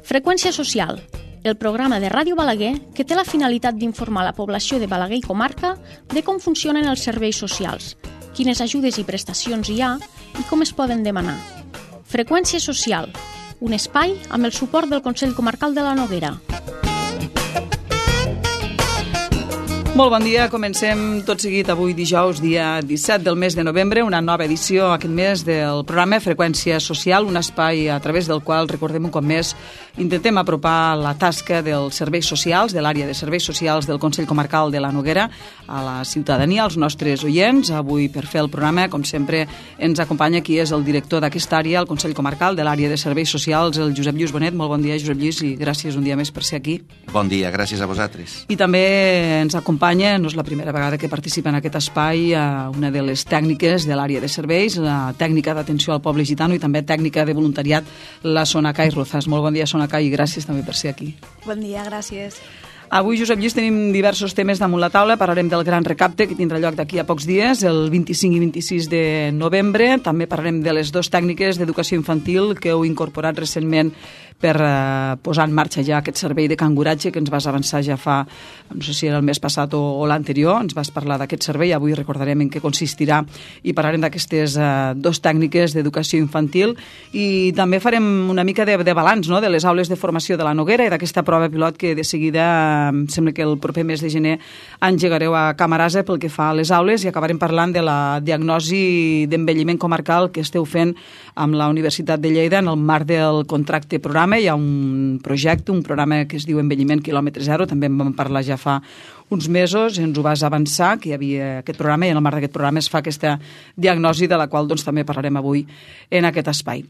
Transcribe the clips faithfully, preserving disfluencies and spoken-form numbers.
Freqüència social, el programa de Ràdio Balaguer que té la finalitat d'informar la població de Balaguer i comarca de com funcionen els serveis socials, quines ajudes i prestacions hi ha i com es poden demanar. Freqüència social, un espai amb el suport del Consell Comarcal de la Noguera. Molt bon dia, comencem tot seguit avui dijous, dia disset del mes de novembre, una nova edició aquest mes del programa Freqüència Social, un espai a través del qual, recordem un cop més, intentem apropar la tasca dels serveis socials, de l'àrea de serveis socials del Consell Comarcal de la Noguera a la ciutadania, als nostres oients. Avui, per fer el programa, com sempre, ens acompanya qui és el director d'aquesta àrea, el Consell Comarcal de l'àrea de serveis socials, el Josep Lluís Bonet. Molt bon dia, Josep Lluís, i gràcies un dia més per ser aquí. Bon dia, gràcies a vosaltres. I també ens acompanya, no és la primera vegada que participa en aquest espai, una de les tècniques de l'àrea de serveis, la tècnica d'atenció al poble gitano i també tècnica de voluntariat, la Sonacay Rozas. Molt bon dia, Sonacay, i gràcies també per ser aquí. Bon dia, gràcies. Avui, Josep Lluís, tenim diversos temes damunt la taula. Parlarem del gran recapte que tindrà lloc d'aquí a pocs dies, el vint-i-cinc i vint-i-sis de novembre. També parlarem de les dues tècniques d'educació infantil que heu incorporat recentment per eh, posar en marxa ja aquest servei de canguratge que ens vas avançar ja fa, no sé si era el mes passat o, o l'anterior, ens vas parlar d'aquest servei. Avui recordarem en què consistirà i parlarem d'aquestes eh, dues tècniques d'educació infantil i també farem una mica de, de balanç, no?, de les aules de formació de la Noguera i d'aquesta prova pilot que de seguida em sembla que el proper mes de gener engegareu a Camarasa pel que fa a les aules i acabarem parlant de la diagnosi d'envelliment comarcal que esteu fent amb la Universitat de Lleida en el marc del contracte programa. Hi ha un projecte, un programa que es diu Envelliment quilòmetre zero, també en vam parlar ja fa uns mesos, ens ho vas avançar, que hi havia aquest programa i en el marc d'aquest programa es fa aquesta diagnosi de la qual doncs, també parlarem avui en aquest espai.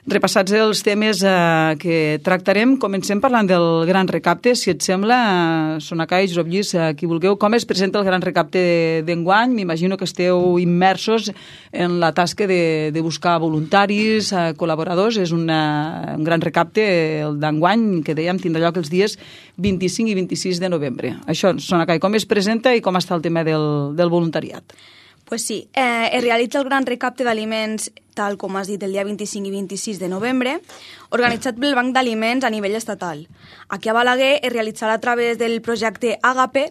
Repassats els temes eh, que tractarem, comencem parlant del gran recapte. Si et sembla, eh, Sonacay, Josep Lluís, eh, qui vulgueu, com es presenta el gran recapte d'enguany? M'imagino que esteu immersos en la tasca de, de buscar voluntaris, eh, col·laboradors. És una, un gran recapte, el d'enguany, que dèiem tindrà lloc els dies vint-i-cinc i vint-i-sis de novembre. Això, Sonacay, com es presenta i com està el tema del, del voluntariat? Pues sí, eh, es realitza el gran recapte d'aliments, tal com has dit, el dia vint-i-cinc i vint-i-sis de novembre, organitzat pel Banc d'Aliments a nivell estatal. Aquí a Balaguer es realitzarà a través del projecte Àgape,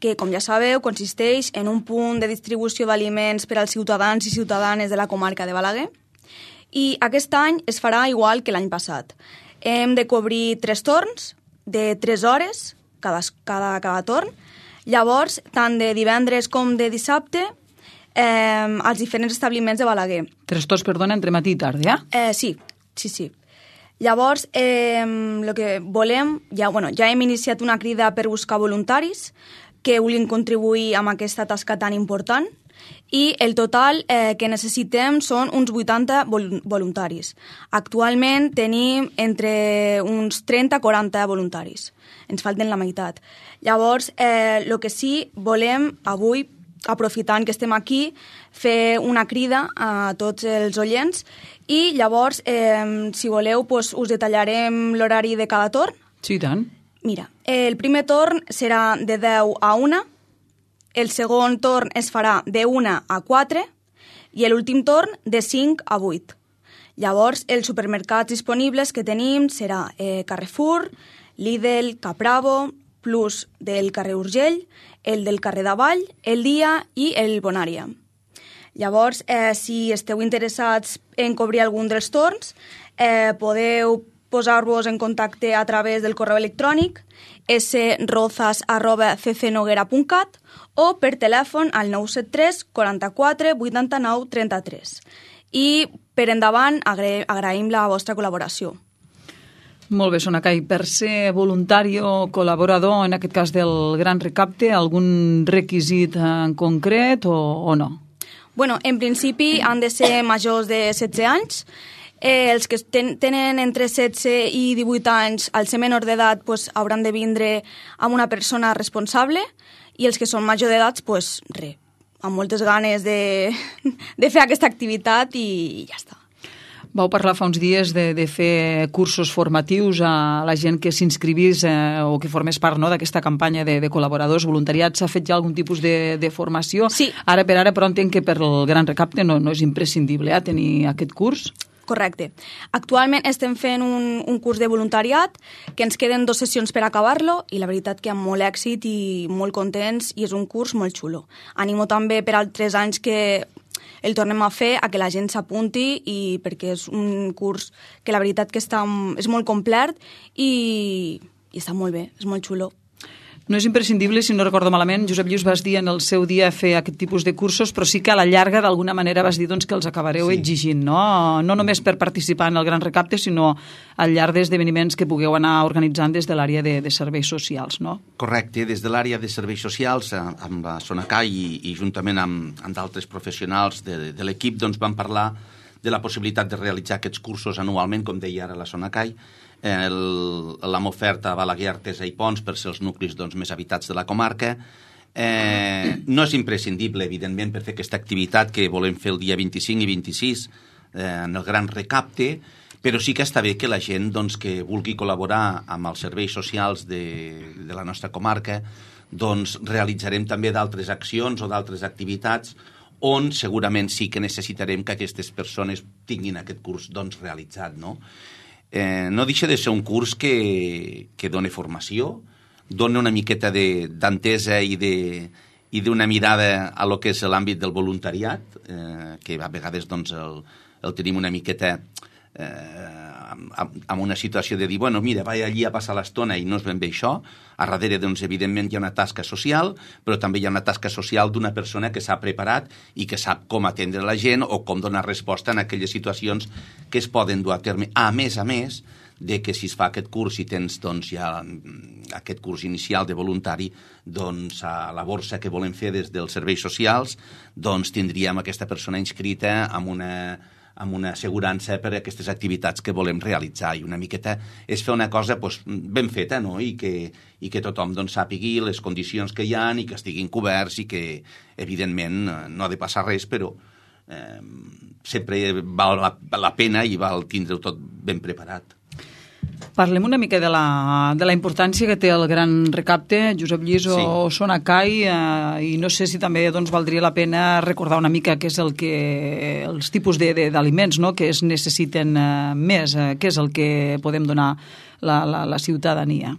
que, com ja sabeu, consisteix en un punt de distribució d'aliments per als ciutadans i ciutadanes de la comarca de Balaguer. I aquest any es farà igual que l'any passat. Hem de cobrir tres torns de tres hores, cada, cada, cada torn. Llavors, tant de divendres com de dissabte, Eh, als diferents establiments de Balaguer. Tres torns, perdona, entre matí i tarda, eh? eh sí, sí, sí. Llavors, eh, el que volem, ja, bueno, ja hem iniciat una crida per buscar voluntaris que vulguin contribuir amb aquesta tasca tan important i el total eh, que necessitem són uns vuitanta vol voluntaris. Actualment tenim entre uns trenta a quaranta voluntaris. Ens falten la meitat. Llavors, eh, el que sí volem avui, aprofitant que estem aquí, fer una crida a tots els oients i llavors, eh, si voleu, pues, us detallarem l'horari de cada torn. Sí, tant. Mira, el primer torn serà de deu a una, el segon torn es farà de una a quatre i l'últim torn de cinc a vuit. Llavors, els supermercats disponibles que tenim serà eh, Carrefour, Lidl, Capravo, Plus del carrer Urgell, el del carrer Davall, el Dia i el Bonària. Llavors, eh, si esteu interessats en cobrir algun dels torns, eh, podeu posar-vos en contacte a través del correu electrònic srozas arroba ccnoguera punt cat o per telèfon al nou set tres quaranta-quatre vuitanta-nou trenta-tres. I per endavant agra agraïm la vostra col·laboració. Molt bé, Sonacay. Per ser voluntari o col·laborador, en aquest cas del gran recapte, algun requisit en concret o, o no? Bueno, en principi han de ser majors de setze anys. Eh, els que ten tenen entre setze i divuit anys, al ser menor d'edat, pues, hauran de vindre amb una persona responsable i els que són major d'edat, pues, res, amb moltes ganes de, de fer aquesta activitat i ja està. Vau parlar fa uns dies de, de fer cursos formatius a la gent que s'inscrivís eh, o que formés part, no, d'aquesta campanya de, de col·laboradors, voluntariats. S'ha fet ja algun tipus de, de formació? Sí. Ara per ara, però entenc que per el gran recapte no, no és imprescindible eh, tenir aquest curs? Correcte. Actualment estem fent un, un curs de voluntariat, que ens queden dues sessions per acabar-lo, i la veritat que amb molt èxit i molt contents, i és un curs molt xulo. Animo també per altres anys que el tornem a fer, a que la gent s'apunti, i perquè és un curs que la veritat que està, és molt complet i, i està molt bé, és molt xulo. No és imprescindible, si no recordo malament, Josep Lluís, vas dir en el seu dia fer aquest tipus de cursos, però sí que a la llarga d'alguna manera vas dir doncs, que els acabareu sí. exigint, no? No només per participar en el Gran Recapte, sinó al llarg d'esdeveniments que pugueu anar organitzant des de l'àrea de, de serveis socials, no? Correcte, des de l'àrea de serveis socials, amb la Sonacai i, i juntament amb, amb d'altres professionals de, de l'equip, doncs vam parlar de la possibilitat de realitzar aquests cursos anualment, com deia ara la Sonacai. L'hem oferta a Balaguer, Artesa i Pons per ser els nuclis doncs, més habitats de la comarca. Eh, no és imprescindible, evidentment, per fer aquesta activitat que volem fer el dia vint-i-cinc i vint-i-sis eh, en el Gran Recapte, però sí que està bé que la gent doncs, que vulgui col·laborar amb els serveis socials de, de la nostra comarca, doncs realitzarem també d'altres accions o d'altres activitats on segurament sí que necessitarem que aquestes persones tinguin aquest curs doncs, realitzat, no? Eh, no deixa de ser un curs que, que dona formació, dona una miqueta d'entesa i de i d'una mirada a lo que és l'àmbit del voluntariat, eh, que a vegades doncs, el, el tenim una miqueta eh, amb, amb una situació de dir, bueno, mira, vaig allí a passar l'estona i no és ben bé això. A darrere, doncs, evidentment, hi ha una tasca social, però també hi ha una tasca social d'una persona que s'ha preparat i que sap com atendre la gent o com donar resposta en aquelles situacions que es poden dur a terme. A més a més, de que si es fa aquest curs i tens doncs, ja aquest curs inicial de voluntari, doncs a la borsa que volem fer des dels serveis socials, doncs tindríem aquesta persona inscrita amb una amb una assegurança per a aquestes activitats que volem realitzar, i una miqueta és fer una cosa doncs, ben feta, no? I que, i que tothom doncs, sàpigui les condicions que hi ha i que estiguin coberts i que, evidentment, no ha de passar res, però eh, sempre val la, la pena i val tindre-ho tot ben preparat. Parlem una mica de la, de la importància que té el Gran Recapte, Josep Lluís o sí. Sonacai, eh, i no sé si també doncs, valdria la pena recordar una mica què és el que, els tipus d'aliments no? que es necessiten eh, més, eh, què és el que podem donar la, la, la ciutadania.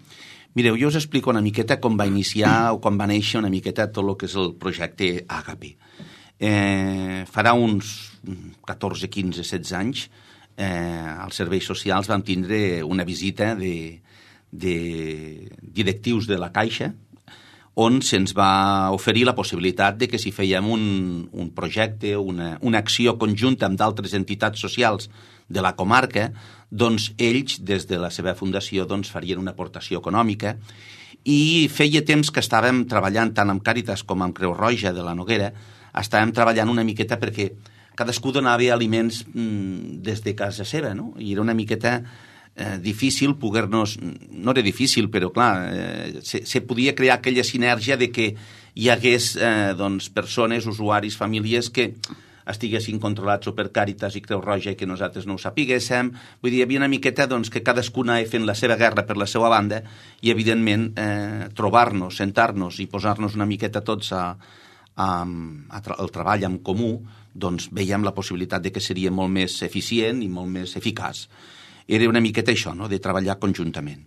Mireu, jo us explico una miqueta com va iniciar o com va néixer una miqueta tot el que és el projecte Àgape. Eh, farà uns catorze, quinze, setze anys Eh, als serveis socials vam tindre una visita de, de directius de la Caixa on se'ns va oferir la possibilitat de que si fèiem un, un projecte, una, una acció conjunta amb d'altres entitats socials de la comarca, doncs ells, des de la seva fundació, doncs farien una aportació econòmica, i feia temps que estàvem treballant tant amb Càritas com amb Creu Roja de la Noguera, estàvem treballant una miqueta perquè cadascú donava aliments mm, des de casa seva, no? I era una miqueta eh, difícil poder-nos... No era difícil, però clar, eh, se, se podia crear aquella sinergia de que hi hagués eh, doncs, persones, usuaris, famílies que estiguessin controlats o per Càritas i Creu Roja i que nosaltres no ho sapiguéssim. Vull dir, hi havia una miqueta doncs, que cadascuna anava fent la seva guerra per la seva banda i, evidentment, eh, trobar-nos, sentar-nos i posar-nos una miqueta tots a, a, a tra el treball en comú, doncs veiem la possibilitat de que seria molt més eficient i molt més eficaç. Era una miqueta això, no?, de treballar conjuntament.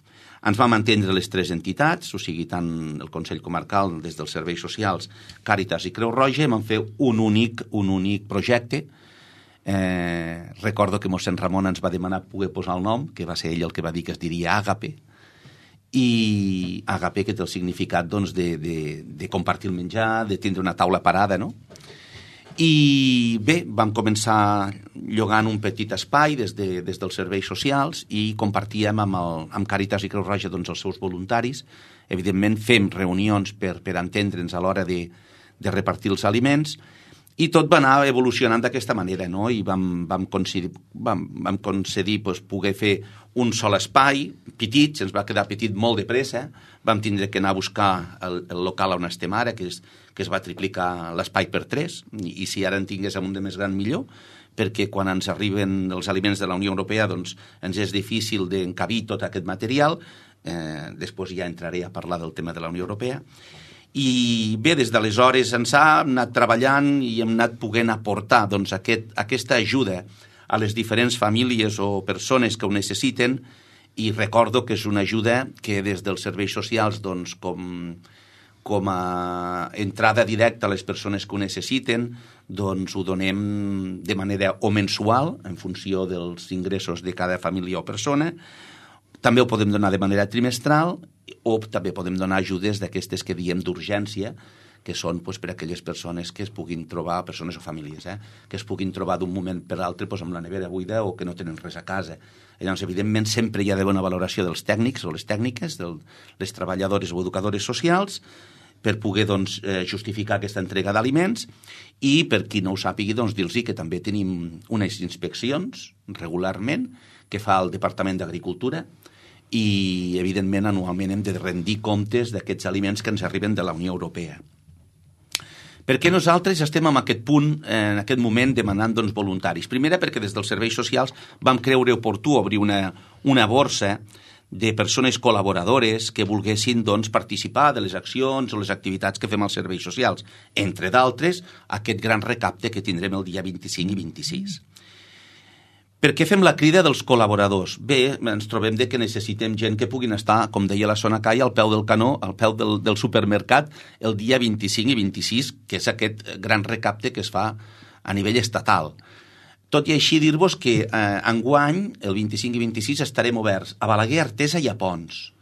Ens vam entendre les tres entitats, o sigui, tant el Consell Comarcal, des dels serveis socials, Càritas i Creu Roja, i vam fer un únic, un únic projecte. Eh, recordo que mossèn Ramon ens va demanar poder posar el nom, que va ser ell el que va dir que es diria Àgape, i Àgape, que té el significat doncs, de, de, de compartir el menjar, de tindre una taula parada, no? I bé, vam començar llogant un petit espai des, de, des dels serveis socials i compartíem amb, el, amb Càritas i Creu Roja doncs, els seus voluntaris. Evidentment fem reunions per, per entendre'ns a l'hora de, de repartir els aliments i tot va anar evolucionant d'aquesta manera, no? I vam, vam concedir, vam, vam concedir doncs, poder fer un sol espai, petit, se'ns va quedar petit molt de pressa, vam tindre que anar a buscar el, el local on estem ara, que, és, que es va triplicar l'espai per tres, i, i si ara en tinguéssim un de més gran millor, perquè quan ens arriben els aliments de la Unió Europea doncs ens és difícil d'encabir tot aquest material, eh, després ja entraré a parlar del tema de la Unió Europea. I bé, des d'aleshores ens ha anat treballant i hem anat poguent aportar doncs, aquest, aquesta ajuda a les diferents famílies o persones que ho necessiten, i recordo que és una ajuda que des dels serveis socials, doncs, com, com a entrada directa a les persones que ho necessiten, doncs ho donem de manera o mensual, en funció dels ingressos de cada família o persona. També ho podem donar de manera trimestral, o també podem donar ajudes d'aquestes que diem d'urgència, que són doncs, per a aquelles persones que es puguin trobar, persones o famílies, eh, que es puguin trobar d'un moment per l'altre doncs, amb la nevera buida o que no tenen res a casa. Llavors, evidentment, sempre hi ha d'haver una valoració dels tècnics o les tècniques, de les treballadores o educadores socials, per poder doncs, eh, justificar aquesta entrega d'aliments, i per qui no ho sàpigui, doncs, dir-los que també tenim unes inspeccions regularment que fa el Departament d'Agricultura, i, evidentment, anualment hem de rendir comptes d'aquests aliments que ens arriben de la Unió Europea. Perquè nosaltres estem en aquest punt, en aquest moment, demanant doncs, voluntaris. Primera, perquè des dels serveis socials vam creure oportú obrir una, una borsa de persones col·laboradores que volguessin doncs, participar de les accions o les activitats que fem als serveis socials. Entre d'altres, aquest gran recapte que tindrem el dia vint-i-cinc i vint-i-sis. Per què fem la crida dels col·laboradors? Bé, ens trobem de que necessitem gent que puguin estar, com deia la Sona Cai, al peu del canó, al peu del, del supermercat, el dia vint-i-cinc i vint-i-sis, que és aquest gran recapte que es fa a nivell estatal. Tot i així, dir-vos que eh, enguany, el vint-i-cinc i vint-i-sis, estarem oberts a Balaguer, Artesa i a Pons.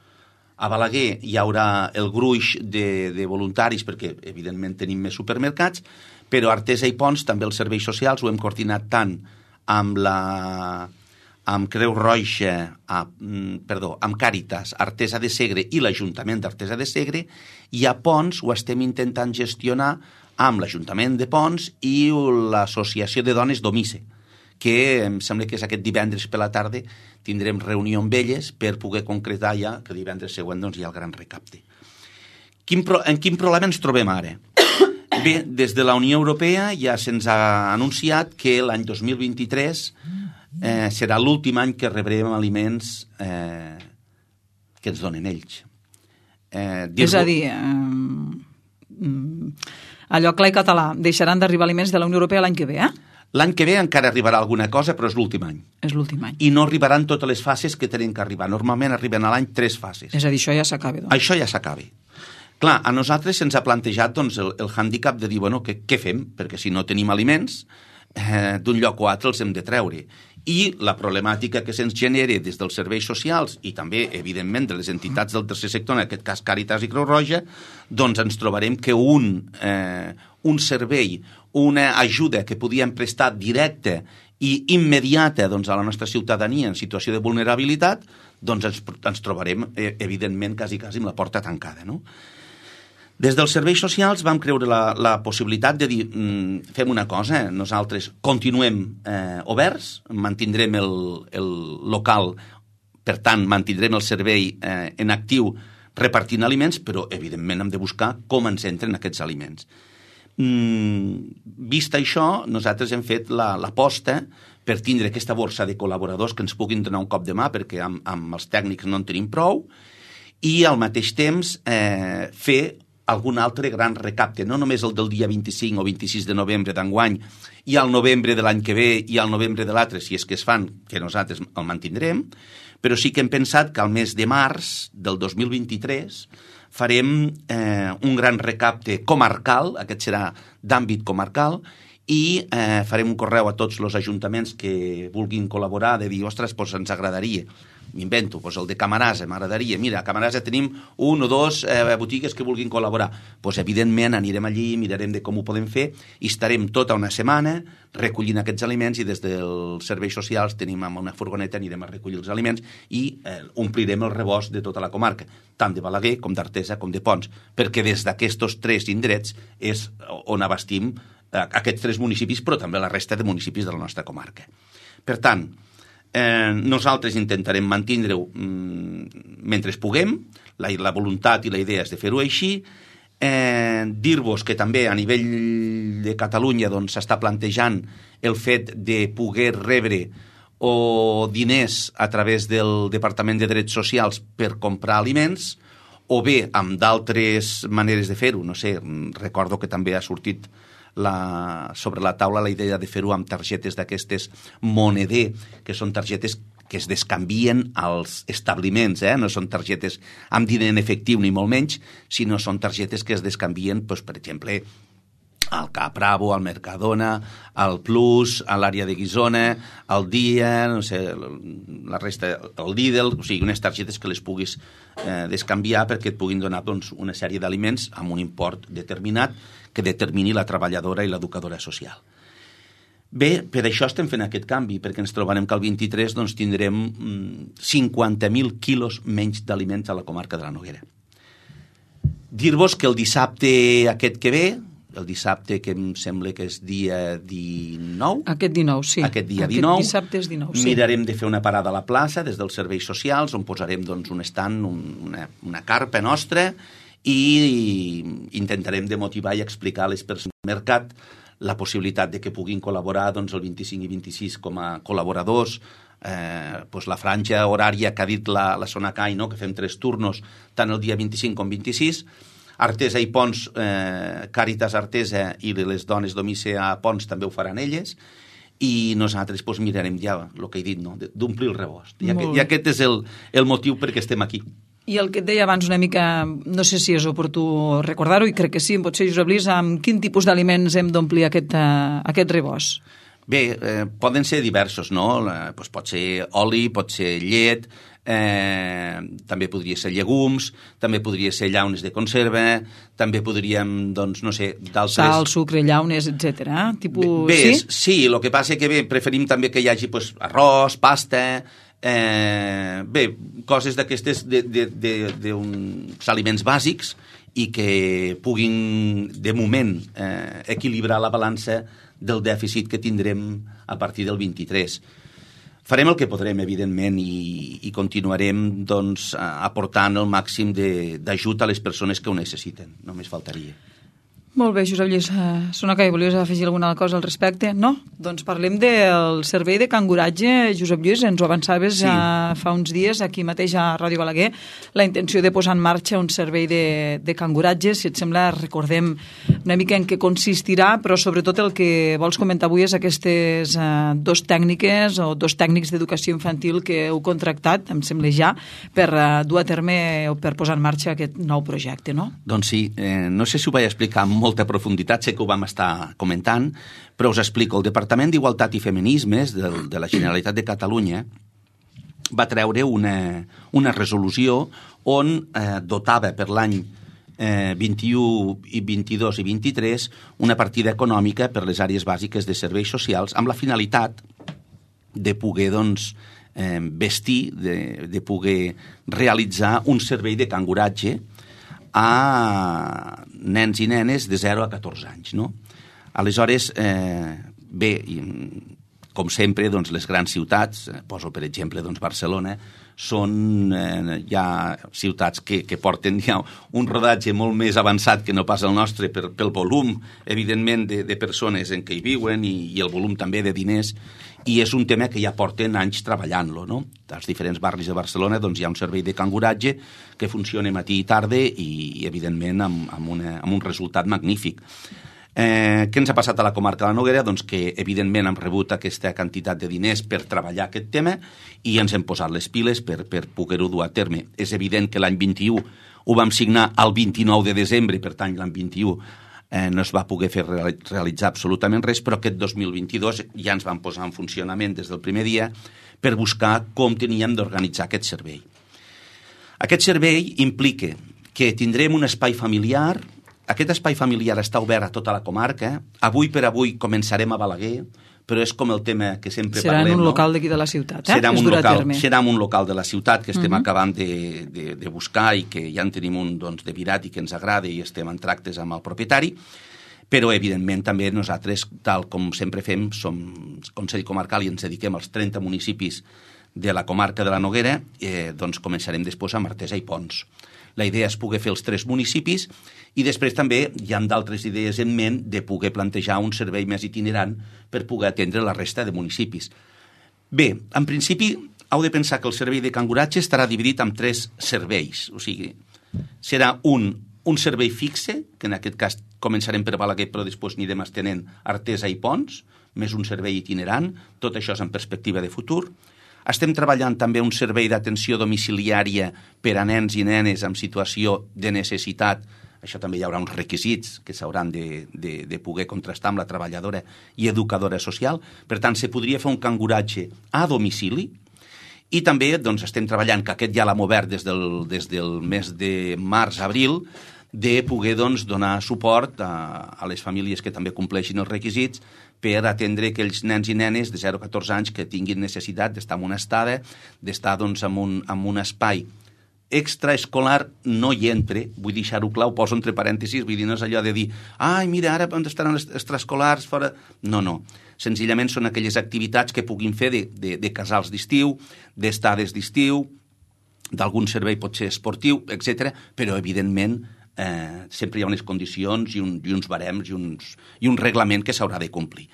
A Balaguer hi haurà el gruix de, de voluntaris, perquè evidentment tenim més supermercats, però a Artesa i Pons també els serveis socials ho hem coordinat tant amb la amb Creu Roja, a, perdó, amb Càritas, Artesa de Segre i l'Ajuntament d'Artesa de Segre, i a Pons ho estem intentant gestionar amb l'Ajuntament de Pons i l'Associació de Dones Domice, que em sembla que és aquest divendres per la tarda tindrem reunió amb elles per poder concretar ja que divendres següent doncs, hi ha el gran recapte. Quin pro, en quin problema ens trobem ara? Bé, des de la Unió Europea ja se'ns ha anunciat que l'any dos mil vint-i-tres eh, serà l'últim any que rebrem aliments eh, que ens donen ells. Eh, és a dir, eh, allò clar i català, deixaran d'arribar aliments de la Unió Europea l'any que ve, eh? L'any que ve encara arribarà alguna cosa, però és l'últim any. És l'últim any. I no arribaran totes les fases que tenen que arribar. Normalment arriben a l'any tres fases. És a dir, això ja s'acaba, doncs. Això ja s'acaba. Clar, a nosaltres se'ns ha plantejat doncs, el, el hàndicap de dir, bueno, què, què fem? Perquè si no tenim aliments, eh, d'un lloc o altre els hem de treure. I la problemàtica que se'ns genera des dels serveis socials i també, evidentment, de les entitats del tercer sector, en aquest cas Càritas i Creu Roja, doncs ens trobarem que un, eh, un servei, una ajuda que podíem prestar directa i immediata doncs, a la nostra ciutadania en situació de vulnerabilitat, doncs ens, ens trobarem, eh, evidentment, quasi, quasi amb la porta tancada, no? Des dels serveis socials vam creure la, la possibilitat de dir, mm, fem una cosa, nosaltres continuem eh, oberts, mantindrem el, el local, per tant, mantindrem el servei eh, en actiu repartint aliments, però, evidentment, hem de buscar com ens entren aquests aliments. Mm, vist això, nosaltres hem fet l'aposta per tindre aquesta borsa de col·laboradors que ens puguin donar un cop de mà, perquè amb, amb els tècnics no en tenim prou, i al mateix temps eh, fer algun altre gran recapte, no només el del dia vint-i-cinc o vint-i-sis de novembre d'enguany, i al novembre de l'any que ve i al novembre de l'altre, si és que es fan, que nosaltres el mantindrem, però sí que hem pensat que al mes de març del dos mil vint-i-tres farem eh, un gran recapte comarcal, aquest serà d'àmbit comarcal, i eh, farem un correu a tots els ajuntaments que vulguin col·laborar, de dir, ostres, doncs ens agradaria, m'invento, doncs el de Camarasa, m'agradaria, mira, a Camarasa tenim un o dos eh, botigues que vulguin col·laborar, doncs evidentment anirem allí, mirarem de com ho podem fer i estarem tota una setmana recollint aquests aliments i des dels serveis socials tenim amb una furgoneta, anirem a recollir els aliments i eh, omplirem el rebost de tota la comarca, tant de Balaguer com d'Artesa com de Pons, perquè des d'aquests tres indrets és on abastim eh, aquests tres municipis, però també la resta de municipis de la nostra comarca. Per tant, Eh, nosaltres intentarem mantindre-ho mm, mentre puguem, la, la voluntat i la idea és de fer-ho així, eh, dir-vos que també a nivell de Catalunya doncs, s'està plantejant el fet de poder rebre o diners a través del Departament de Drets Socials per comprar aliments, o bé amb d'altres maneres de fer-ho, no sé, recordo que també ha sortit la, sobre la taula la idea de fer-ho amb targetes d'aquestes moneder, que són targetes que es descanvien als establiments, eh? No són targetes amb diner en efectiu ni molt menys, sinó són targetes que es descanvien, doncs, per exemple, al Cap Bravo, al Mercadona, al Plus, a l'àrea de Guissona, al Dia, no sé, la resta, el Lidl, o sigui, unes targetes que les puguis eh, descanviar perquè et puguin donar doncs, una sèrie d'aliments amb un import determinat que determini la treballadora i l'educadora social. Bé, per això estem fent aquest canvi, perquè ens trobarem que el vint-i-tres doncs, tindrem mm, cinquanta mil quilos menys d'aliments a la comarca de la Noguera. Dir-vos que el dissabte aquest que ve, el dissabte que em sembla que és dia dinou. Aquest dinou, sí. Aquest dia dinou. Aquest dissabte és dinou, sí. Mirarem de fer una parada a la plaça des dels serveis socials, on posarem doncs, un estand, un, una, una carpa nostra, i intentarem de motivar i explicar a les persones del mercat la possibilitat de que puguin col·laborar doncs, el vint-i-cinc i vint-i-sis com a col·laboradors, eh, doncs la franja horària que ha dit la, la Sonacai, no? Que fem tres turnos, tant el dia vint-i-cinc com vint-i-sis, Artesa i Pons, eh, Càritas Artesa i les dones d'Omice a Pons també ho faran elles, i nosaltres doncs, mirarem ja el que he dit, no? D'omplir el rebost. I aquest, i aquest és el, el motiu perquè estem aquí. I el que et deia abans una mica, no sé si és oportú recordar-ho, i crec que sí, potser, Josep Lluís, amb quin tipus d'aliments hem d'omplir aquest, uh, aquest rebost? Bé, eh, poden ser diversos, no? Eh, doncs pot ser oli, pot ser llet, eh, també podria ser llegums, també podria ser llaunes de conserva, també podríem, doncs, no sé, d'altres... Sal, sucre, llaunes, etcètera. Tipus... Bé, sí? sí, el que passa que bé, preferim també que hi hagi pues, arròs, pasta... Eh, bé, coses d'aquestes d'uns aliments bàsics i que puguin, de moment, eh, equilibrar la balança del dèficit que tindrem a partir del vint-i-tres. Farem el que podrem, evidentment, i, i continuarem doncs, aportant el màxim d'ajut a les persones que ho necessiten. Només faltaria. Molt bé, Josep Lluís. Sonacai, volies afegir alguna cosa al respecte? No? Doncs parlem del servei de canguratge. Josep Lluís, ens ho avançaves sí. uh, fa uns dies aquí mateix a Ràdio Balaguer, la intenció de posar en marxa un servei de, de canguratge. Si et sembla, recordem una mica en què consistirà, però sobretot el que vols comentar avui és aquestes uh, dos tècniques o dos tècnics d'educació infantil que heu contractat, em sembla ja, per uh, dur a terme o per posar en marxa aquest nou projecte, no? Doncs sí, eh, no sé si ho vaig explicar molt molta profunditat, sé que ho vam estar comentant, però us explico. El Departament d'Igualtat i Feminismes de, de la Generalitat de Catalunya va treure una, una resolució on eh, dotava per l'any eh, vint-i-u, i vint-i-dos i vint-i-tres una partida econòmica per les àrees bàsiques de serveis socials amb la finalitat de poder, doncs, eh, vestir, de, de poder realitzar un servei de canguratge a nens i nenes de zero a catorze anys, no? Aleshores, eh, bé, com sempre, doncs, les grans ciutats, poso per exemple doncs, Barcelona, són eh, ja ciutats que, que porten ja un rodatge molt més avançat que no pas el nostre per, pel volum, evidentment, de, de persones en què hi viuen i, i el volum també de diners, i és un tema que ja porten anys treballant-lo, no? Als diferents barris de Barcelona doncs, hi ha un servei de canguratge que funciona matí i tarda i, i evidentment, amb, amb, una, amb un resultat magnífic. Eh, què ens ha passat a la comarca de la Noguera? Doncs que, evidentment, hem rebut aquesta quantitat de diners per treballar aquest tema i ens hem posat les piles per, per poder-ho dur a terme. És evident que l'any vint-i-u ho vam signar el vint-i-nou de desembre, per tant, l'any vint-i-u eh, no es va poder fer realitzar absolutament res, però aquest dos mil vint-i-dos ja ens vam posar en funcionament des del primer dia per buscar com teníem d'organitzar aquest servei. Aquest servei implica que tindrem un espai familiar. Aquest espai familiar està obert a tota la comarca. Avui per avui començarem a Balaguer, però és com el tema que sempre serà parlem. Serà en un no? local d'aquí de la ciutat, eh? Serà un local, serà en un local de la ciutat que estem uh-huh. acabant de, de, de buscar i que ja en tenim un doncs, de virat i que ens agrada i estem en tractes amb el propietari, però evidentment també nosaltres, tal com sempre fem, som Consell Comarcal i ens dediquem als trenta municipis de la comarca de la Noguera, eh, doncs començarem després amb Artesa i Pons. La idea és poder fer els tres municipis i després també hi ha d'altres idees en ment de poder plantejar un servei més itinerant per poder atendre la resta de municipis. Bé, en principi heu de pensar que el servei de canguratge estarà dividit en tres serveis, o sigui, serà un un servei fixe, que en aquest cas començarem per Balaguer, però després anirem estenent Artesa i Pons, més un servei itinerant, tot això és en perspectiva de futur. Estem treballant també un servei d'atenció domiciliària per a nens i nenes en situació de necessitat. Això també hi haurà uns requisits que s'hauran de, de, de poder contrastar amb la treballadora i educadora social. Per tant, se podria fer un canguratge a domicili. I també doncs, estem treballant, que aquest ja l'hem obert des del, des del mes de març-abril, de poder doncs, donar suport a, a les famílies que també compleixin els requisits per atendre aquells nens i nenes de zero a catorze anys que tinguin necessitat d'estar en una estada, d'estar doncs, en, un, en un espai extraescolar. No hi entre, vull deixar-ho clar, ho poso entre parèntesis, vull dir, no és allò de dir, ai, mira, ara on estaran els extraescolars fora... No, no. Senzillament són aquelles activitats que puguin fer de, de, de casals d'estiu, d'estades d'estiu, d'algun servei potser esportiu, etcètera, però evidentment eh, sempre hi ha unes condicions i, un, i uns barems i, uns, i un reglament que s'haurà de complir.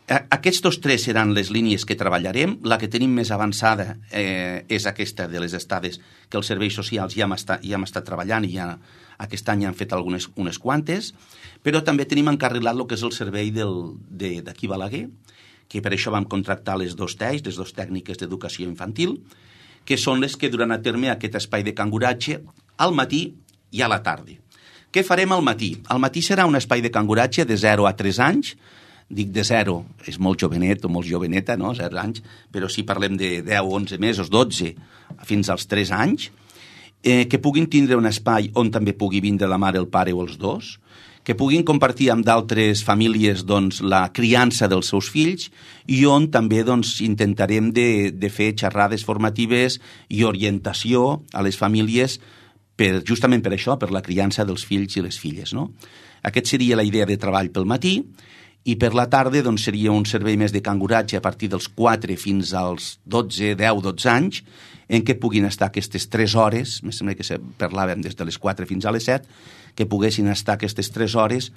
Aquests dos tres seran les línies que treballarem. La que tenim més avançada eh, és aquesta de les estades que els serveis socials ja hem estat, ja hem estat treballant i ja aquest any han fet algunes unes quantes, però també tenim encarrilat el que és el servei del, de, d'aquí Balaguer, que per això vam contractar les dos T E I, les dues tècniques d'educació infantil, que són les que duran a terme aquest espai de canguratge al matí i a la tarda. Què farem al matí? Al matí serà un espai de canguratge de zero a tres anys. Dic de zero, és molt jovenet o molt joveneta, no?, zero anys, però si parlem de deu, onze mesos, dotze, fins als tres anys, eh, que puguin tindre un espai on també pugui vindre la mare, el pare o els dos, que puguin compartir amb d'altres famílies doncs, la criança dels seus fills i on també doncs, intentarem de, de fer xerrades formatives i orientació a les famílies per, justament per això, per la criança dels fills i les filles, no? Aquest seria la idea de treball pel matí. I per la tarda doncs, seria un servei més de canguratge a partir dels quatre fins als dotze, deu, dotze anys, en què puguin estar aquestes tres hores, em sembla que parlàvem des de les quatre fins a les set, que poguessin estar aquestes tres hores,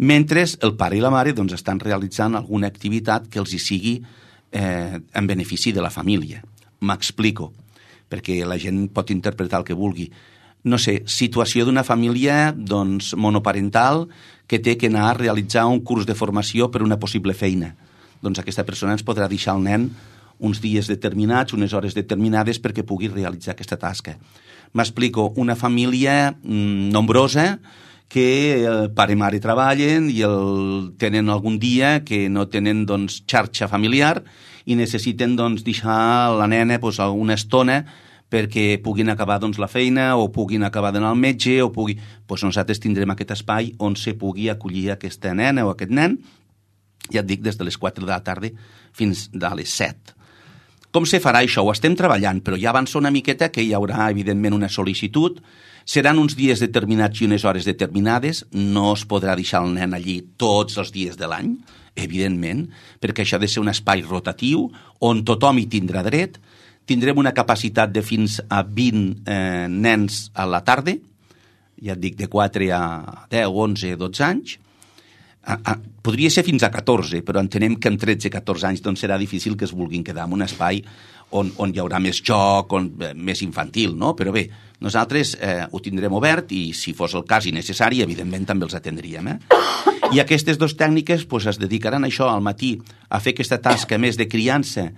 mentre el pare i la mare doncs, estan realitzant alguna activitat que els hi sigui eh, en benefici de la família. M'explico, perquè la gent pot interpretar el que vulgui. No sé, situació d'una família doncs, monoparental que té que anar a realitzar un curs de formació per una possible feina. Doncs aquesta persona ens podrà deixar el nen uns dies determinats, unes hores determinades perquè pugui realitzar aquesta tasca. M'explico, una família mmm, nombrosa que el pare i mare treballen i el, tenen algun dia que no tenen doncs, xarxa familiar i necessiten doncs, deixar la nena doncs, una estona perquè puguin acabar doncs, la feina o puguin acabar d'anar al metge o pugui... Doncs nosaltres tindrem aquest espai on se pugui acollir aquesta nena o aquest nen, ja et dic, des de les quatre de la tarda fins a les set. Com se farà això? Ho estem treballant, però ja avança una miqueta que hi haurà, evidentment, una sol·licitud. Seran uns dies determinats i unes hores determinades. No es podrà deixar el nen allí tots els dies de l'any, evidentment, perquè això ha de ser un espai rotatiu on tothom hi tindrà dret. Tindrem una capacitat de fins a vint eh, nens a la tarda, ja et dic, de quatre a deu, onze, dotze anys. A, a, podria ser fins a catorze, però entenem que en tretze a catorze anys doncs serà difícil que es vulguin quedar en un espai on, on hi haurà més joc, on, eh, més infantil, no? Però bé, nosaltres eh, ho tindrem obert i si fos el cas i necessari, evidentment també els atendríem. Eh? I aquestes dues tècniques pues, es dedicaran a això al matí, a fer aquesta tasca més de criança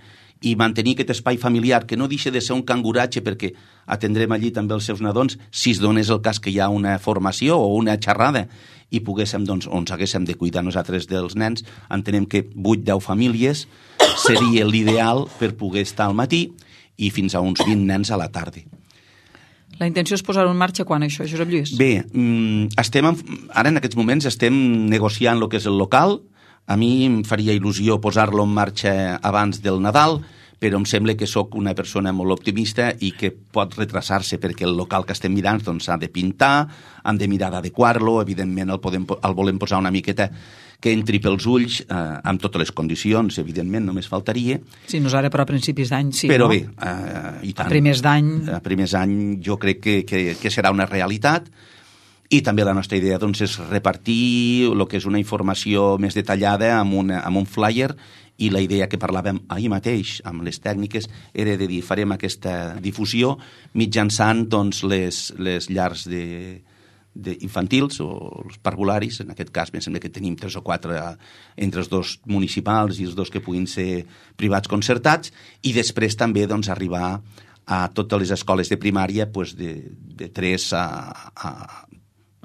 i mantenir aquest espai familiar, que no deixa de ser un canguratge perquè atendrem allí també els seus nadons, si es donés el cas que hi ha una formació o una xerrada i poguéssim, doncs, on haguéssim de cuidar nosaltres dels nens, entenem que vuit deu famílies seria l'ideal per poder estar al matí i fins a uns vint nens a la tarda. La intenció és posar-ho en marxa quan, això, Josep Lluís? Bé, estem en, ara en aquests moments estem negociant el que és el local. A mi em faria il·lusió posar-lo en marxa abans del Nadal, però em sembla que sóc una persona molt optimista i que pot retrasar-se perquè el local que estem mirant doncs, s'ha de pintar, han de mirar d'adequar-lo, evidentment el, podem, el volem posar una miqueta que entri pels ulls, eh, amb totes les condicions, evidentment, només faltaria. Sí, no és ara, però a principis d'any, sí, però no? Però bé, eh, i tant. A primers d'any... A primers d'any jo crec que, que, que serà una realitat. I també la nostra idea doncs, és repartir el que és una informació més detallada amb, una, amb un flyer, i la idea que parlàvem ahir mateix amb les tècniques era de dir farem aquesta difusió mitjançant doncs, les, les llars de, d'infantils o els parvularis, en aquest cas em sembla que tenim tres o quatre entre els dos municipals i els dos que puguin ser privats concertats, i després també doncs, arribar a totes les escoles de primària pues, de, de tres a, a,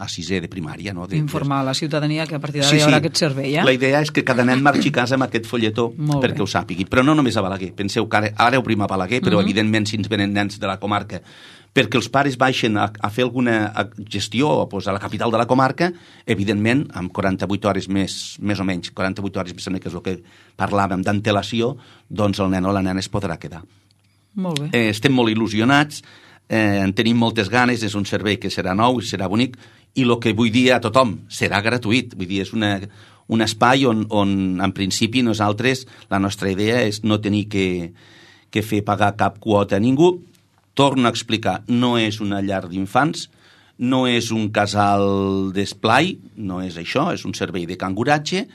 a sisè de primària. No? De, Informar a la ciutadania que a partir d'ara sí, hi haurà sí. aquest servei. Eh? La idea és que cada nen marxi a casa amb aquest folletó Molt perquè bé. ho sàpigui. Però no només a Balaguer. Penseu que ara, ara obrim a Balaguer, però Uh-huh. evidentment si ens venen nens de la comarca perquè els pares baixen a, a fer alguna gestió pues, a la capital de la comarca, evidentment, amb quaranta-vuit hores més, més o menys, quaranta-vuit hores, que és el que parlàvem d'antelació, doncs el nen o la nena es podrà quedar. Molt bé. Eh, estem molt il·lusionats, eh, en tenim moltes ganes, és un servei que serà nou i serà bonic, i el que vull dir a tothom, serà gratuït. Vull dir, és una, un espai on, on, en principi, nosaltres, la nostra idea és no tenir que, que fer pagar cap quota a ningú. Torno a explicar, no és una llar d'infants, no és un casal d'esplai, no és això, és un servei de canguratge,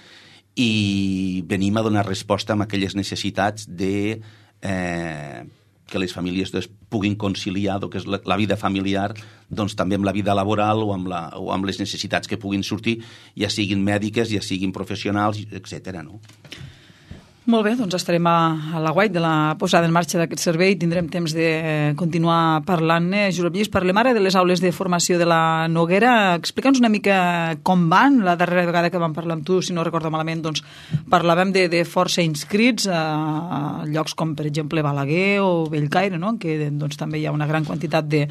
i venim a donar resposta a aquelles necessitats de eh, que les famílies doncs, puguin conciliar el que és la, la vida familiar doncs, també amb la vida laboral o amb, la, o amb les necessitats que puguin sortir, ja siguin mèdiques, ja siguin professionals, etcètera. No? Molt bé, doncs estarem a, a la guait de la posada en marxa d'aquest servei, tindrem temps de continuar parlant-ne. Josep Lluís, parlem ara de les aules de formació de la Noguera. Explica'ns una mica com van. La darrera vegada que vam parlar amb tu, si no recordo malament, doncs parlàvem de, de força inscrits a, a llocs com, per exemple, Balaguer o Bellcaire, no? Que doncs, també hi ha una gran quantitat de,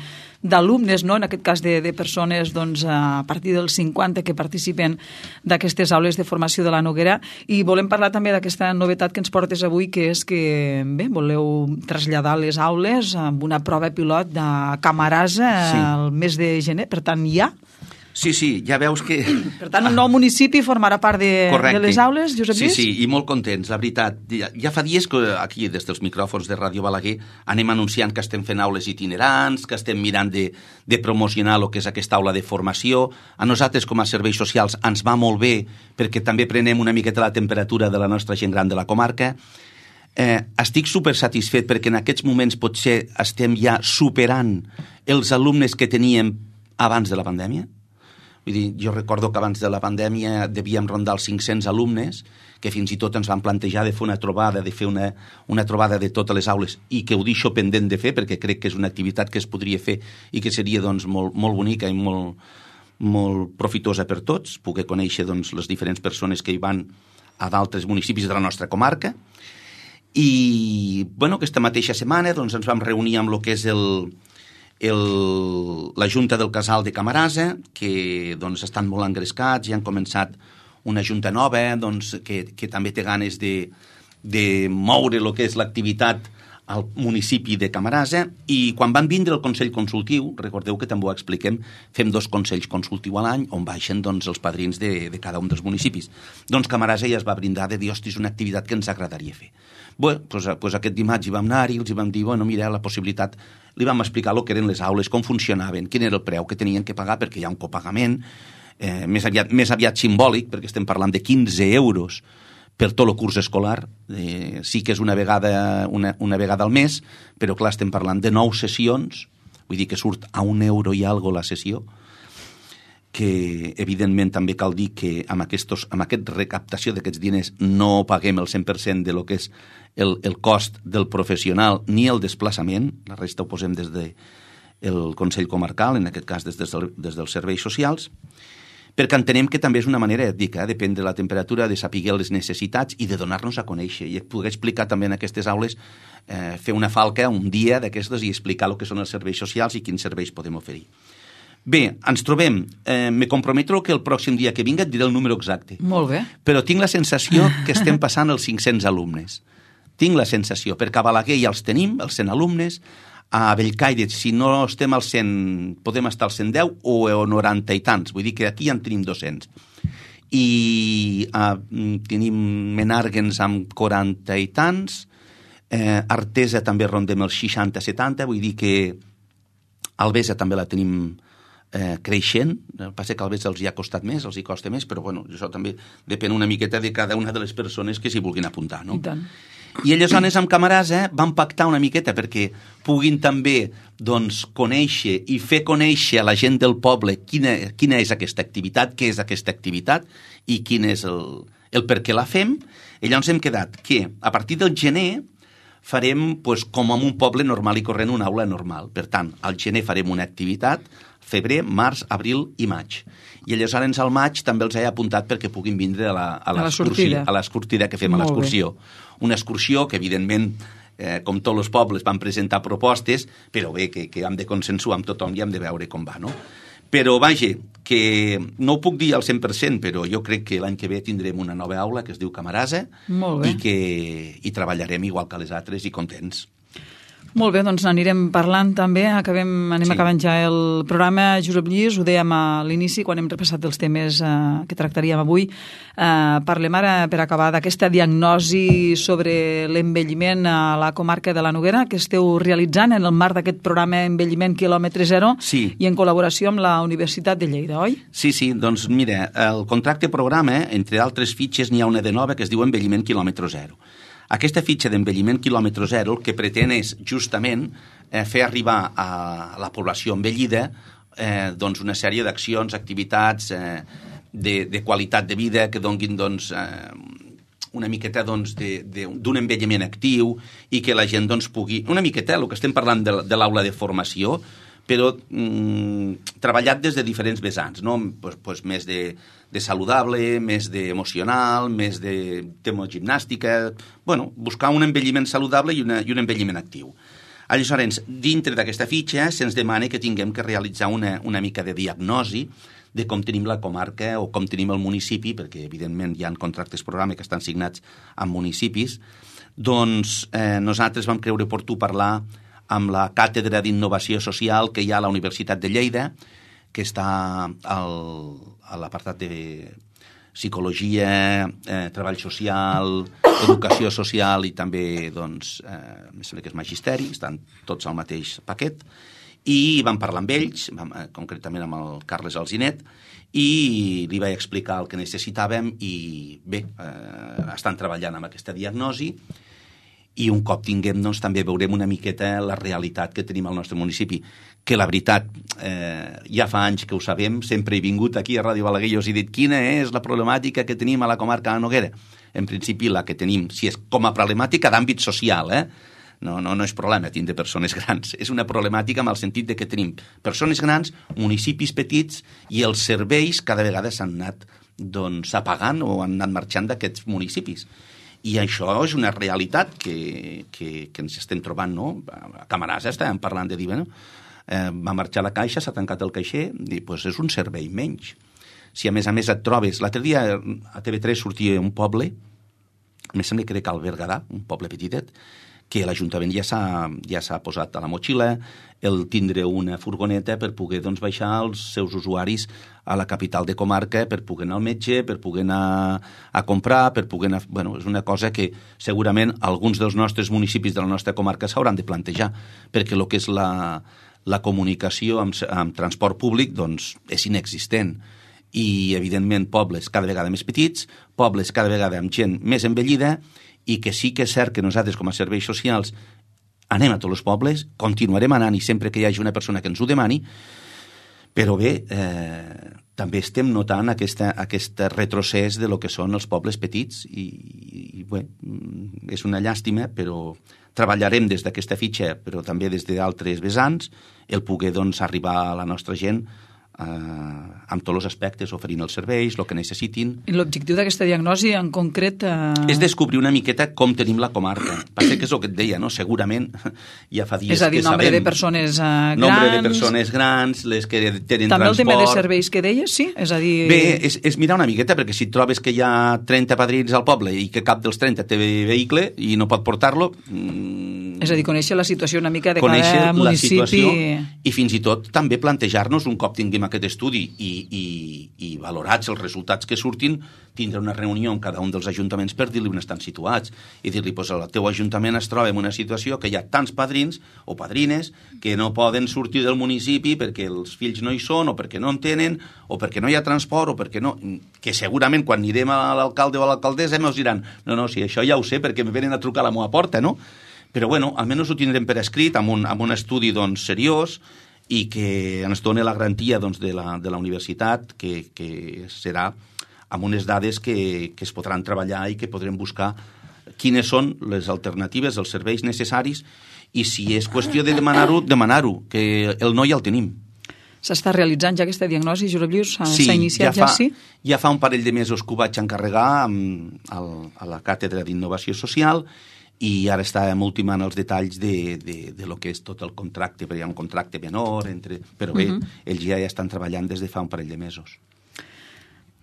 d'alumnes, no? En aquest cas de, de persones doncs, a partir dels cinquanta que participen d'aquestes aules de formació de la Noguera, i volem parlar també d'aquesta novetat que ens portes avui, que és que bé, voleu traslladar les aules amb una prova pilot de Camarasa sí. el mes de gener, per tant ja? Sí, sí, ja veus que... Per tant, un nou municipi formarà part de, de les aules, Josep Lluís? Sí, sí, i molt contents, la veritat. Ja, ja fa dies que aquí, des dels micròfons de Ràdio Balaguer, anem anunciant que estem fent aules itinerants, que estem mirant de, de promocionar el que és aquesta aula de formació. A nosaltres, com a serveis socials, ens va molt bé perquè també prenem una miqueta la temperatura de la nostra gent gran de la comarca. Eh, estic super satisfet perquè en aquests moments potser estem ja superant els alumnes que teníem abans de la pandèmia. Vull dir, jo recordo que abans de la pandèmia devíem rondar els cinc-cents alumnes, que fins i tot ens van plantejar de fer una trobada, de fer una, una trobada de totes les aules, i que ho deixo pendent de fer, perquè crec que és una activitat que es podria fer i que seria doncs, molt, molt bonica i molt, molt profitosa per tots, poder conèixer doncs, les diferents persones que hi van a d'altres municipis de la nostra comarca. I bueno, aquesta mateixa setmana doncs, ens vam reunir amb el que és el... El, la Junta del Casal de Camarasa, que doncs, estan molt engrescats i han començat una junta nova doncs, que, que també té ganes de, de moure el que és l'activitat al municipi de Camarasa, i quan van vindre el Consell Consultiu, recordeu que també ho expliquem, fem dos consells consultius a l'any on baixen doncs, els padrins de, de cada un dels municipis. Doncs Camarasa ja es va brindar de dir, hosti, és una activitat que ens agradaria fer. Bé, doncs, doncs aquest dimarts hi vam anar i els hi vam dir, bueno, mira, la possibilitat, li vam explicar el que eren les aules, com funcionaven, quin era el preu que tenien que pagar, perquè hi ha un copagament, eh, més, aviat, més aviat simbòlic, perquè estem parlant de quinze euros per tot el curs escolar. Eh, sí que és una vegada, una, una vegada al mes, però clar, estem parlant de nou sessions, vull dir que surt a un euro i algo la sessió, que evidentment també cal dir que amb, aquestos, amb aquest recaptació d'aquests diners no paguem el cent per cent de lo que és el, el cost del professional ni el desplaçament, la resta ho posem des del de Consell Comarcal, en aquest cas des, des, del, des dels serveis socials, perquè entenem que també és una manera ètica, eh? Depèn de la temperatura, de saber les necessitats i de donar-nos a conèixer i poder explicar també en aquestes aules, eh, fer una falca un dia d'aquestes i explicar el que són els serveis socials i quins serveis podem oferir. Bé, ens trobem. Eh, me comprometo que el pròxim dia que vinga et diré el número exacte. Molt bé. Però tinc la sensació que estem passant els cinc-cents alumnes. Tinc la sensació, perquè a Balaguer ja els tenim, els cent alumnes, a Bellcaire, si no estem al cent, podem estar al cent deu o a noranta i tants. Vull dir que aquí ja en tenim dos-cents. I eh, tenim Menàrguens amb quaranta i tants, eh, Artesa també rondem els seixanta setanta, vull dir que Albesa també la tenim eh, creixent, el que passa que a vegades els hi ha costat més, els hi costa més, però bueno, això també depèn una miqueta de cada una de les persones que s'hi vulguin apuntar, no? I tant. I aleshores amb Camarasa vam pactar una miqueta perquè puguin també doncs, conèixer i fer conèixer a la gent del poble quina, quina és aquesta activitat, què és aquesta activitat i quin és el, el per què la fem. I llavors hem quedat que a partir del gener farem pues, com en un poble normal i corrent una aula normal. Per tant, al gener farem una activitat, febrer, març, abril i maig. I aleshores al maig també els he apuntat perquè puguin vindre a la, a a la sortida. A l'escortida que fem Molt a l'excursió. Una excursió que, evidentment, eh, com tots els pobles, van presentar propostes, però bé, que, que hem de consensuar amb tothom i hem de veure com va, no? Però, vaja, que no ho puc dir al cent per cent, però jo crec que l'any que ve tindrem una nova aula que es diu Camarasa i que hi treballarem igual que les altres i contents. Molt bé, doncs n'anirem parlant també, acabem, anem sí. acabant ja el programa. Josep Lluís, ho dèiem a l'inici quan hem repassat els temes eh, que tractaríem avui. Eh, parlem ara, per acabar, d'aquesta diagnosi sobre l'envelliment a la comarca de la Noguera que esteu realitzant en el marc d'aquest programa Envelliment quilòmetre zero sí. i en col·laboració amb la Universitat de Lleida, oi? Sí, sí, doncs mira, el contracte programa, entre altres fitxes, n'hi ha una de nova que es diu Envelliment quilòmetre zero. Aquesta fitxa d'envelliment quilòmetre zero el que pretén és justament eh, fer arribar a la població envellida eh, doncs una sèrie d'accions, activitats eh, de, de qualitat de vida que donguin doncs, eh, una miqueta doncs, d'un envelliment actiu i que la gent doncs, pugui... Una miqueta, el que estem parlant de, de l'aula de formació, però mm, treballat des de diferents vessants, no? pues, pues més de, de saludable, més d'emocional, més de tema gimnàstica... Bueno, buscar un envelliment saludable i, una, i un envelliment actiu. Aleshores, dintre d'aquesta fitxa se'ns demana que tinguem que realitzar una, una mica de diagnosi de com tenim la comarca o com tenim el municipi, perquè evidentment hi ha contractes programa que estan signats amb municipis. Doncs eh, nosaltres vam creure oportú parlar amb la Càtedra d'Innovació Social que hi ha a la Universitat de Lleida, que està al, a l'apartat de psicologia, eh, treball social, educació social i també, doncs, eh, em sembla que és magisteri, estan tots al mateix paquet, i vam parlar amb ells, vam, eh, concretament amb el Carles Alzinet, i li vaig explicar el que necessitàvem i bé, eh, estan treballant amb aquesta diagnosi. I un cop tinguem, doncs, també veurem una miqueta la realitat que tenim al nostre municipi, que la veritat, eh, ja fa anys que ho sabem, sempre he vingut aquí a Ràdio Balaguer i us he dit quina és la problemàtica que tenim a la comarca de la Noguera. En principi, la que tenim, si és com a problemàtica d'àmbit social, eh? No, no, no és problema tindre persones grans, és una problemàtica amb el sentit de que tenim persones grans, municipis petits i els serveis cada vegada s'han anat doncs, apagant o han anat marxant d'aquests municipis. I això és una realitat que, que, que ens estem trobant, no? A Camarasa estàvem parlant de dir, bueno, eh, va marxar la caixa, s'ha tancat el caixer, i doncs és un servei menys. Si a més a més et trobes... L'altre dia a T V tres sortia un poble, em sembla que era Cal Berguedà, un poble petitet, que l'Ajuntament ja s'ha ja s'ha posat a la motxilla el tindre una furgoneta per poder doncs, baixar els seus usuaris a la capital de comarca per poder anar al metge, per poder anar a comprar, per poder anar... Bueno, és una cosa que segurament alguns dels nostres municipis de la nostra comarca s'hauran de plantejar, perquè el que és la, la comunicació amb, amb transport públic doncs, és inexistent. I, evidentment, pobles cada vegada més petits, pobles cada vegada amb gent més envellida, i que sí que és cert que nosaltres, com a serveis socials, anem a tots els pobles, continuarem anant i sempre que hi hagi una persona que ens ho demani, però bé, eh, també estem notant aquesta, aquest retrocés de lo que són els pobles petits i, i bé, és una llàstima, però treballarem des d'aquesta fitxa, però també des d'altres vessants, el poder doncs, arribar a la nostra gent Eh, amb tots els aspectes, oferint els serveis, el que necessitin. I l'objectiu d'aquesta diagnosi en concret... Eh... És descobrir una miqueta com tenim la comarca. Passa que és el que et deia, no? Segurament ja fa dies que sabem... És a dir, nombre de persones eh, grans... Nombre de persones grans, les que tenen també transport... També el tema de serveis que deies, sí? És a dir... Bé, és, és mirar una miqueta, perquè si trobes que hi ha trenta padrins al poble i que cap dels trenta té vehicle i no pot portar-lo... Mmm, És a dir, conèixer la situació una mica de conèixer cada la municipi. situació i fins i tot també plantejar-nos, un cop tinguem aquest estudi i, i, i valorats els resultats que surtin, tindre una reunió amb cada un dels ajuntaments per dir-li on estan situats i dir-li, pues, el teu ajuntament es troba en una situació que hi ha tants padrins o padrines que no poden sortir del municipi perquè els fills no hi són o perquè no en tenen o perquè no hi ha transport o perquè no... que segurament quan anirem a l'alcalde o a l'alcaldessa ens diran no, no, si això ja ho sé perquè me venen a trucar a la meva porta, no? Però bueno, almenys ho tindrem per escrit amb un, amb un estudi doncs, seriós i que ens doni la garantia doncs, de, la, de la universitat que, que serà amb unes dades que, que es podran treballar i que podrem buscar quines són les alternatives, els serveis necessaris i si és qüestió de demanar-ho, demanar-ho, que el no ja el tenim. S'està realitzant ja aquesta diagnosi, Josep Lluís? S'ha sí, iniciat ja, fa, ja, sí? Ja fa un parell de mesos que ho vaig encarregar amb, al, a la Càtedra d'Innovació Social i ara estàvem ultimant els detalls de, de, de lo que és tot el contracte, perquè hi ha un contracte menor, entre... però bé, uh-huh. ells ja, ja estan treballant des de fa un parell de mesos.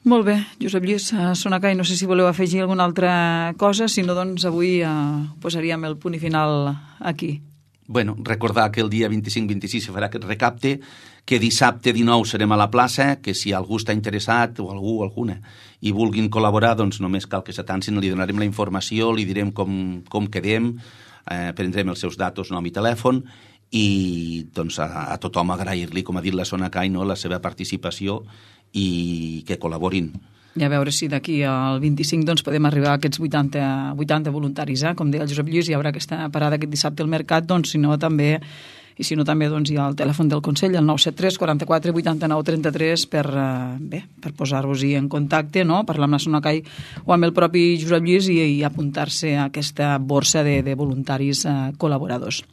Molt bé, Josep Lluís Sonacay, no sé si voleu afegir alguna altra cosa, si no, doncs avui eh, posaríem el punt i final aquí. Bueno, recordar que el dia vint-i-cinc vint-i-sis se farà aquest recapte, que dissabte dinou serem a la plaça, que si algú està interessat, o algú o alguna, i vulguin col·laborar, doncs només cal que s'atancin, li donarem la informació, li direm com, com quedem, eh, prendrem els seus datos, nom i telèfon, i doncs a, a tothom agrair-li, com ha dit la Sonacay, no, la seva participació i que col·laborin. I a veure si d'aquí al vint-i-cinc doncs, podem arribar a aquests vuitanta, vuitanta voluntaris, eh? Com deia el Josep Lluís, hi haurà aquesta parada aquest dissabte al mercat, doncs si no també, i si no també doncs, hi ha el telèfon del Consell, el nou set tres quaranta-quatre vuitanta-nou trenta-tres per, eh, bé, per posar-vos-hi en contacte, no? Parlar amb la Sonacay o amb el propi Josep Lluís i, i apuntar-se a aquesta borsa de, de voluntaris eh, col·laboradors.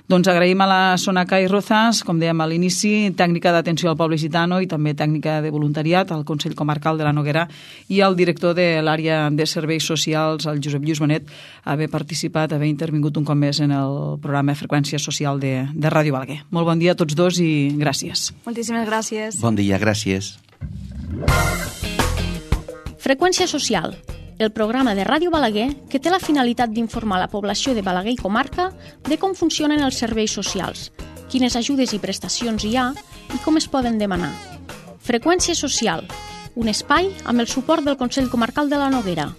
Doncs agraïm a la Sonacay Rozas, com dèiem a l'inici, tècnica d'atenció al poble gitano i també tècnica de voluntariat al Consell Comarcal de la Noguera i al director de l'àrea de serveis socials, el Josep Lluís Bonet, haver participat, haver intervingut un cop més en el programa Freqüència Social de, de Ràdio Balaguer. Molt bon dia a tots dos i gràcies. Moltíssimes gràcies. Bon dia, gràcies. Freqüència Social, el programa de Ràdio Balaguer que té la finalitat d'informar la població de Balaguer i comarca de com funcionen els serveis socials, quines ajudes i prestacions hi ha i com es poden demanar. Freqüència Social, un espai amb el suport del Consell Comarcal de la Noguera.